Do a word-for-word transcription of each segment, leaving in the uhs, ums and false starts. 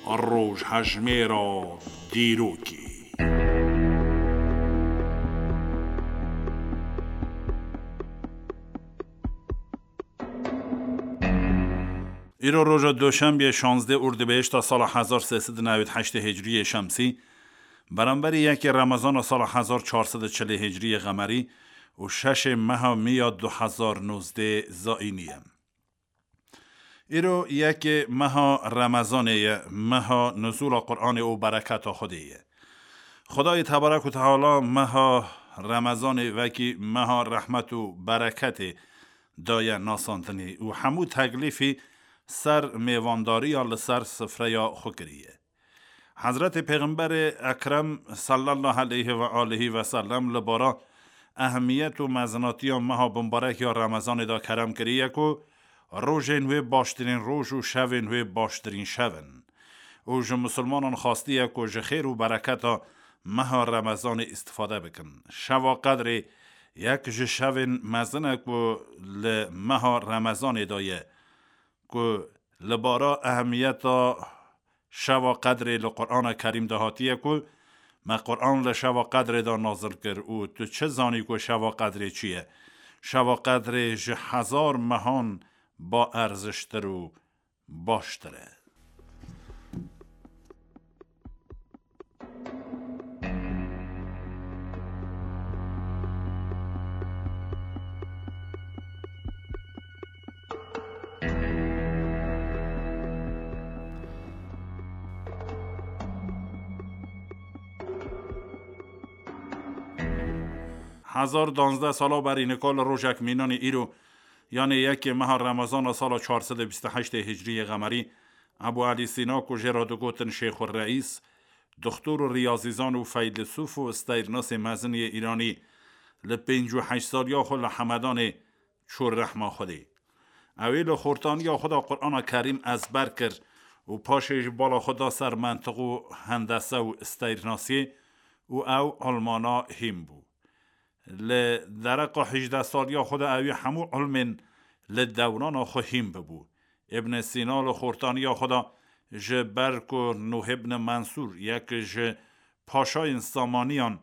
Rojhejmêra dîrokê. Îro roja Doşembiyê şazdeh Urdibêşta sala hezar sê sed û newî heştê Hicriyê Şemsî, beramberî yekê Remezana sala hezar çar sed û çilê Hicriyê Xemerî û şeşê meha Miya du hezar nozdeh Zayînî ye. Îro yekê meha Remezanê ye, meha nuzûla Qur'anê û bereketa Xwedê ye. Xwedayê Tebarek û Teala meha Remezanê wekî meha rehmet û bereketê daye nasandinê û hemû teklîfî ser mêvandariya li ser sifreya xwe kiriye. Hezretê Pêxemberê Ekrem sallallahu aleyhi ve alihi ve sellem li bara ehemiyet û mezinatiya meha bimbarek ya Remezanê de kerem kiriye ku rojên wê baştirîn roj û şevên wê baştirîn şev in. Û ji misilmanan xastiye ku ji xêr û bereketa meha Remezanê îstifade bikin. Şeva Qedrê yek ji şevên mezin e ku li meha Remezanê de ye, ku li bara ehemiyeta Şeva Qedrê li Qur'ana Kerîm de hatiye ku me Qur'an li Şeva Qedrê de nazil kir û tu çi zanî ku Şeva Qedrê çi ye? Şeva Qedrê ji hezar mehan ba erziştir û baştir e. Hezar danzdeh sala berî nika li rojek mînanî îro, yanê yekê meha Remezana sala çar sed û bîst û heştê Hicriyê Xemerî, Ebû Elî Sîna ku jê re digotin Şêxur Reîs, doxtor û riyazîzan û feylesûf û steyrnasê mezin yê Îranî, li pêncî û heşt saliya xwe li Hemedanê çû rehma Xwedê. Ew ê li xortaniya xwe de Qur'ana Kerîm ezber kir û paşê ji bala xwe da ser mentiq û hendese û steyrnasiyê û ew ilmana hîn bû. Li dereqa hejdeh saliya xwe de ewî hemû ilmên li dewrana xwe hîn bibû. Ibn Sîna li xortaniya xwe de ji ber ku Nuh ibn Mensûr, yek ji paşayên Samaniyan,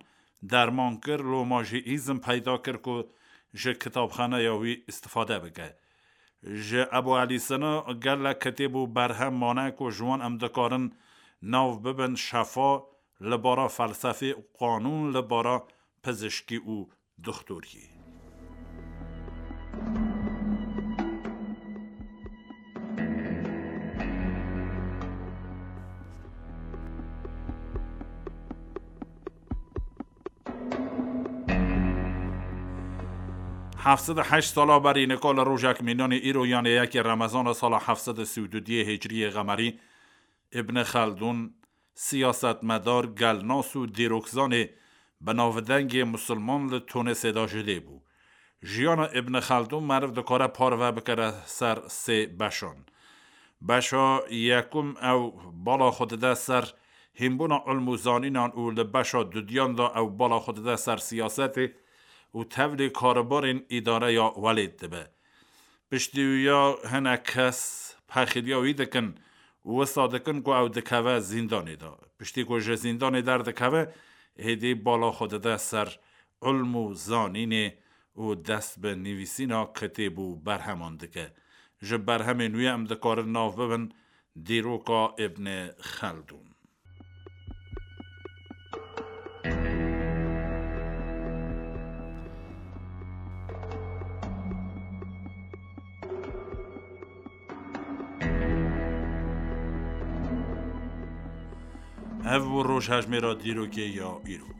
derman kir, loma jî îzin peyda kir ku ji kitabxaneya wî îstifade bike. Ji Ebû Elî Sîna gelek kitêb û berhem mane ku ji wan em dikarin nav bibin şefa li bara felsefê û qanûn li bara pizişkî û doxtoriyê. Heft sed û heşt sala berî nika li rojek mînanî îro, yanê yekê Remezana sala heft sed û sî û du diyê Hicriyê Xemerî, Ibn Xeldûn, siyasetmedar, gelnas û dîrokzanê bi navdengê misilman li Tunisê de ji dê bû. Jiyana Ibn Xeldûn meriv dikare parve bikire ser sê beşan. Beşa yekum ew bala xwe dide ser hînbûna ilm û zanînan û li beşa dudiyan de ew bala xwe dide ser siyasetê û tevlî karobarên îdareya welêt dibe. Piştî wî ya hinek kes pexiliya wî dikin û wisa dikin ku ew dikeve zîndanê de. Piştî ku ji zîndanê derdikeve, êdî bala xwe dide ser ilm û zanînê û dest bi nivîsîna kitêb û berheman dike. Ji berhemên wî em dikarin nav bibin dîroka Ibn Xeldûn. Ev bû rojhejmêra dîrokê ya îro.